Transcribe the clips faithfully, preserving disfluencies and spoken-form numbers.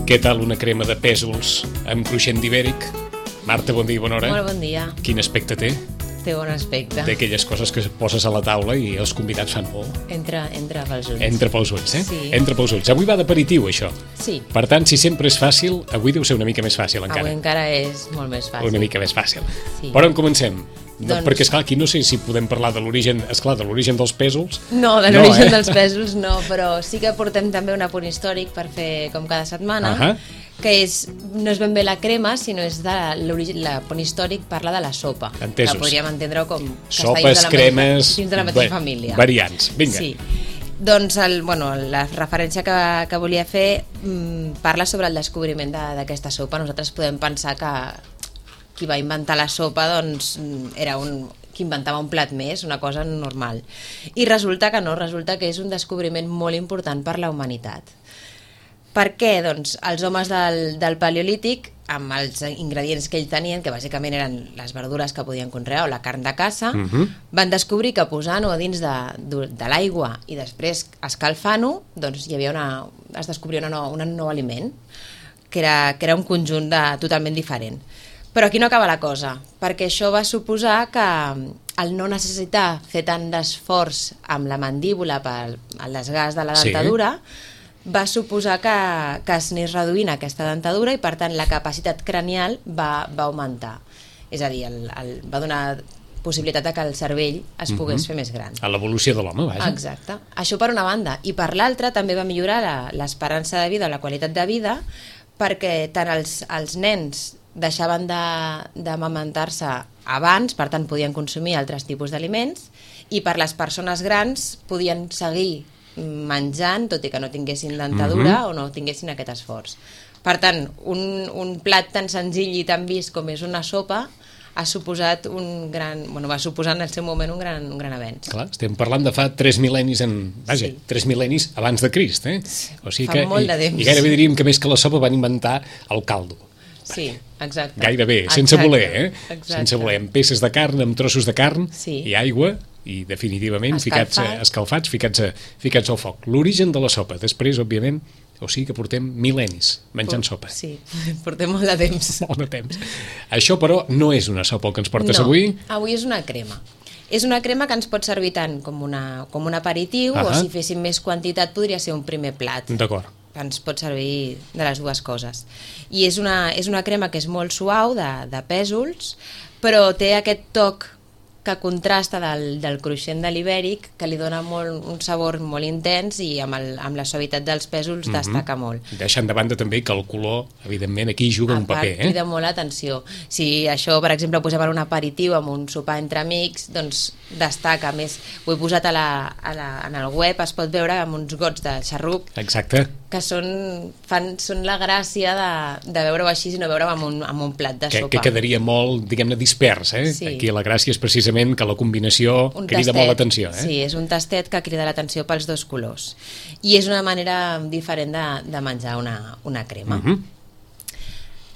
Què tal una crema de pèsols amb cruixent d'ibèric? Marta, bon dia i bona hora. Molt bon dia. Quin aspecte té? Té bon aspecte. D'aquelles coses que poses a la taula i els convidats fan molt. Entra, entra pels ulls. Entra pels ulls, eh? Sí. Entra pels ulls. Avui va d'aperitiu, això. Sí. Per tant, si sempre és fàcil, avui deu ser una mica més fàcil, encara. Avui encara és molt més fàcil. Una mica més fàcil. Sí. Per on comencem? Doncs... Perquè, esclar, aquí no sé si podem parlar de l'origen, esclar, de l'origen dels pèsols. No, de l'origen no, eh? dels pèsols no, però sí que portem també un apunt històric per fer com cada setmana, uh -huh. que és, no és ben bé la crema, sinó és de l'origen, l'apunt històric parla de la sopa. Entesos. Que podríem entendre com que Sopes, està dins de la cremes, mateixa, dins de la mateixa va, família. Variants, vinga. Sí. Doncs el, bueno, la referència que, que volia fer mmm, parla sobre el descobriment d'aquesta sopa. Nosaltres podem pensar que qui va inventar la sopa doncs, era un, qui inventava un plat més, una cosa normal. I resulta que no, resulta que és un descobriment molt important per la humanitat. Per què? Doncs els homes del, del Paleolític, amb els ingredients que ells tenien, que bàsicament eren les verdures que podien conrear o la carn de caça, uh -huh. van descobrir que posant-ho a dins de, de, de l'aigua i després escalfant-ho, doncs hi havia una, es descobria una nou, un nou aliment, que era, que era un conjunt de, totalment diferent. Però aquí no acaba la cosa, perquè això va suposar que el no necessitar fer tant d'esforç amb la mandíbula per el desgast de la dentadura, sí. va suposar que, que es anés reduint aquesta dentadura i per tant la capacitat cranial va, va augmentar. És a dir, el, el, va donar possibilitat que el cervell es pogués uh-huh. fer més gran. A l'evolució de l'home, vaja. Exacte. Això per una banda. I per l'altra també va millorar l'esperança de vida o la qualitat de vida, perquè tant els, els nens deixaven d'amamentar-se abans, per tant podien consumir altres tipus d'aliments, i per les persones grans podien seguir menjant, tot i que no tinguessin dentadura uh-huh. o no tinguessin aquest esforç. Per tant, un, un plat tan senzill i tan vist com és una sopa ha suposat un gran... Bueno, va suposar en el seu moment un gran, un gran avenç. Clar, estem parlant de fa tres mil·lennis en... Vaja, sí. tres mil·lennis abans de Crist, eh? O sigui fa que, molt i, de temps. I gairebé diríem que més que la sopa van inventar el caldo. Sí, exacte. Gairebé, sense exacte. voler, eh? Exacte. Sense voler, amb peces de carn, amb trossos de carn sí. i aigua, i definitivament Escalfat. ficats, a, escalfats, ficats, a, ficats al foc. L'origen de la sopa, després, òbviament, o sigui que portem mil·lennis menjant Por, sopa. Sí, portem molt de temps. Molt de temps. Això, però, no és una sopa el que ens portes no, avui? avui és una crema. És una crema que ens pot servir tant com, una, com un aperitiu, uh-huh. o si féssim més quantitat podria ser un primer plat. D'acord. Ens pot servir de les dues coses. I és una, és una crema que és molt suau, de, de pèsols, però té aquest toc que contrasta del, del cruixent de l'ibèric, que li dona molt, un sabor molt intens i amb, el, amb la suavitat dels pèsols mm-hmm. destaca molt. Deixant de banda també que el color, evidentment, aquí juga a un paper. A part, crida molt l'atenció. Si això, per exemple, ho posem en un aperitiu amb un sopar entre amics, doncs destaca més. Ho he posat a la, a la, en el web, es pot veure amb uns gots de xarrup. Exacte. Que són, fan, són la gràcia de, de veure-ho així i no veure-ho amb un, amb un plat de que, sopa. Que quedaria molt, diguem-ne, dispers, eh? Sí. Aquí la gràcia és precisament que la combinació un crida tastet, molt l'atenció. Eh? Sí, és un tastet que crida l'atenció pels dos colors. I és una manera diferent de, de menjar una, una crema. Uh-huh.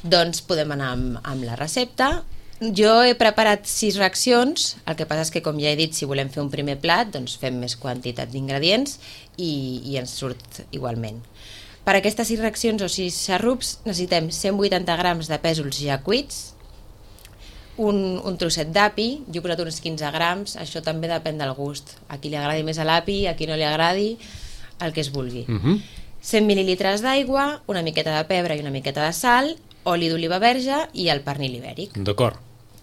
Doncs podem anar amb, amb la recepta. Jo he preparat sis reaccions, el que passa és que, com ja he dit, si volem fer un primer plat, doncs fem més quantitat d'ingredients i, i ens surt igualment. Per aquestes sis reaccions o sis xarrups necessitem cent vuitanta grams de pèsols ja cuits, un, un trosset d'api, jo he posat uns quinze grams, això també depèn del gust. A qui li agradi més l'api, a qui no li agradi, el que es vulgui. Uh-huh. cent mil·lilitres d'aigua, una miqueta de pebre i una miqueta de sal, oli d'oliva verge i el pernil ibèric. D'acord.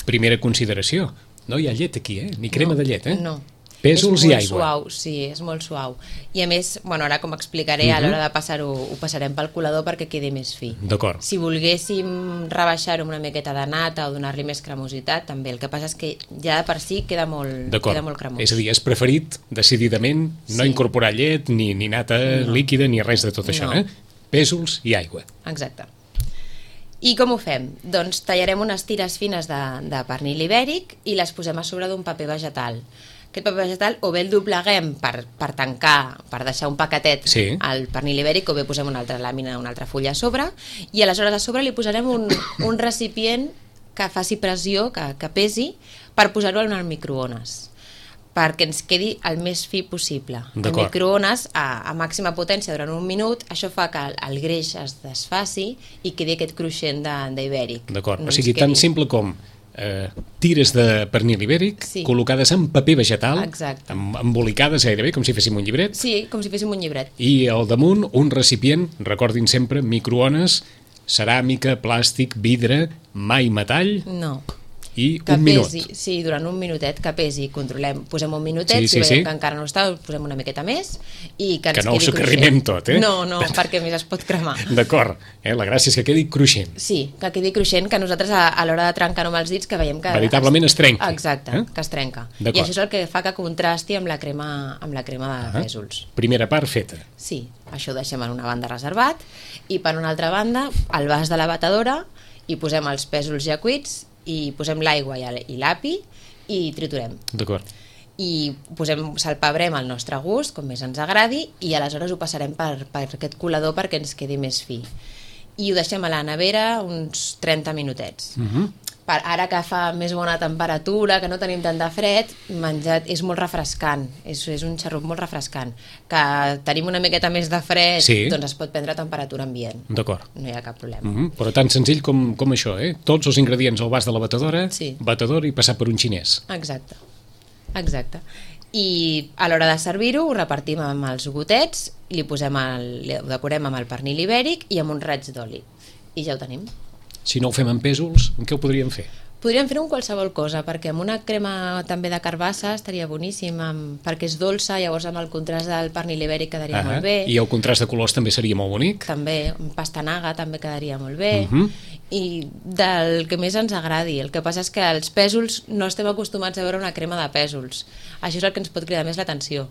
Primera consideració, no hi ha llet aquí, eh? Ni crema no, de llet, eh? No. Pèsols i aigua. Suau, sí, és molt suau. I a més, bueno, ara com explicaré, uh-huh. a l'hora de passar-ho, ho passarem pel colador perquè quedi més fi. D'acord. Si volguéssim rebaixar-ho amb una miqueta de nata o donar-li més cremositat, també. El que passa és que ja de per si queda molt, queda molt cremós. És a dir, és preferit, decididament, no sí. incorporar llet, ni, ni nata no. líquida, ni res de tot això, no. eh? Pèsols i aigua. Exacte. I com ho fem? Doncs tallarem unes tires fines de, de pernil ibèric i les posem a sobre d'un paper vegetal. Aquest paper vegetal o bé el dobleguem per, per tancar, per deixar un paquetet sí. al pernil ibèric, o bé posem una altra làmina, una altra fulla a sobre, i aleshores a sobre li posarem un, un recipient que faci pressió, que, que pesi, per posar-ho en el microones. perquè ens quedi el més fi possible. El D'acord. microones a, a màxima potència durant un minut, això fa que el, el greix es desfaci i quedi aquest cruixent de- d'ibèric. D'acord, No o ens sigui, quedi- tan simple com eh, tires de pernil ibèric, Sí. col·locades en paper vegetal, Exacte. em- embolicades gairebé, com si féssim un llibret, Sí, com si féssim un llibret. i al damunt un recipient, recordin sempre, microones, ceràmica, plàstic, vidre, mai metall, No. i Que un minut. pesi, sí, durant un minutet, que pesi, controlem, posem un minutet, Sí, si sí, veiem sí. que encara no està, posem una miqueta més i que ens Que no ho quedi socarrimem cruixent. tot, eh? No, no, perquè més es pot cremar. D'acord, eh? La gràcia és que quedi cruixent. Sí, que quedi cruixent, que nosaltres a, a l'hora de trencar-ho amb els dits que veiem que... Veritablement es trenca. Exacte, Eh? que es trenca. I D'acord. això és el que fa que contrasti amb la crema, amb la crema de Ah. pèsols. Primera part feta. Sí, això ho deixem en una banda reservat i per una altra banda al vas de la batedora hi posem els pèsols ja cuits i posem l'aigua i el- i l'api i triturem. D'acord. I posem, salpebrem al nostre gust, com més ens agradi, i aleshores ho passarem per, per aquest colador perquè ens quedi més fi. I ho deixem a la nevera uns trenta minutets. Uh -huh. Per ara que fa més bona temperatura, que no tenim tant de fred, menjat és molt refrescant, és, és un xarrup molt refrescant. Que tenim una miqueta més de fred, Sí. doncs es pot prendre a temperatura ambient. D'acord. No hi ha cap problema. Uh -huh. Però tan senzill com, com això, eh? Tots els ingredients al vas de la batedora, Sí. batedor i passar per un xinès. Exacte, exacte. I a l'hora de servir-ho ho repartim amb els gotets, li posem el, ho decorem amb el pernil ibèric i amb un raig d'oli. I ja ho tenim. Si no ho fem amb pèsols, en què ho podríem fer? Podríem fer-ho amb qualsevol cosa, perquè amb una crema també de carbassa estaria boníssim, amb, perquè és dolça, llavors amb el contrast del pernil ibèric quedaria molt bé. I el contrast de colors també seria molt bonic. També, amb pastanaga també quedaria molt bé. Uh -huh. I del que més ens agradi. El que passa és que els pèsols no estem acostumats a veure una crema de pèsols. Això és el que ens pot cridar més l'atenció.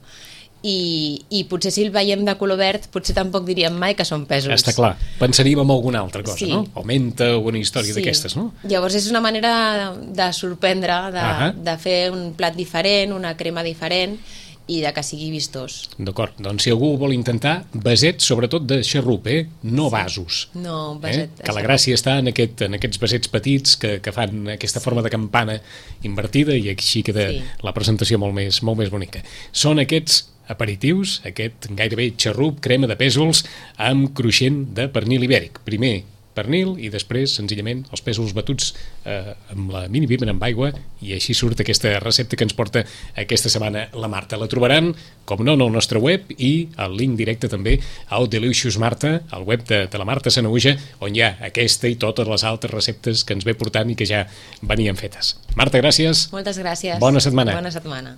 I, i potser si el veiem de color verd potser tampoc diríem mai que són pèsols. Està clar. Pensaríem en alguna altra cosa, Sí. no? O menta o una història d'aquestes, no? Llavors és una manera de sorprendre, de, Ahà. de fer un plat diferent, una crema diferent i de que sigui vistós. D'acord, doncs si algú vol intentar, vasets sobretot de xarrup, eh? No vasos. No, un Eh? vaset de Que la xarrup. gràcia està en, aquest, en aquests vasets petits que, que fan aquesta forma de campana invertida i així queda Sí. la presentació molt més, molt més bonica. Són aquests aperitius, aquest gairebé xarrup, crema de pèsols amb cruixent de pernil ibèric. Primer pernil i després, senzillament, els pèsols batuts eh, amb la mini bímen amb aigua i així surt aquesta recepta que ens porta aquesta setmana la Marta. La trobaran, com no, en el nostre web i el link directe també al Delicious Marta, al web de, de la Marta Sanaüja, on hi ha aquesta i totes les altres receptes que ens ve portant i que ja venien fetes. Marta, gràcies. Moltes gràcies. Bona setmana. Bona setmana.